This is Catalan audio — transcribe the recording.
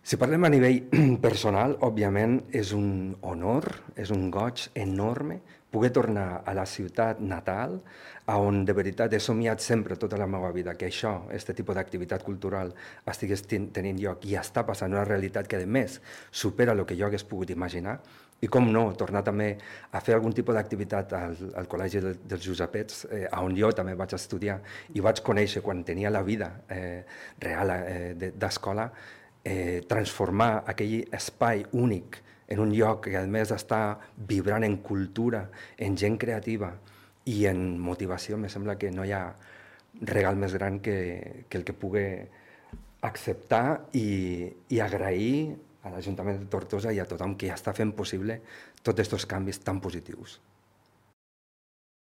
Si parlem a nivell personal, òbviament és un honor, és un goig enorme poder tornar a la ciutat natal, on de veritat he somiat sempre tota la meva vida que això, aquest tipus d'activitat cultural, estigués tenint lloc i està passant una realitat que, a més, supera el que jo hagués pogut imaginar. I com no, tornar també a fer algun tipus d'activitat al Col·legi dels Josepets, on jo també vaig estudiar i vaig conèixer quan tenia la vida real d'escola, transformar aquell espai únic en un lloc que a més està vibrant en cultura, en gent creativa i en motivació. Me sembla que no hi ha regal més gran que el que pugui acceptar i agrair a l'Ajuntament de Tortosa i a tothom que està fent possible tots aquests canvis tan positius.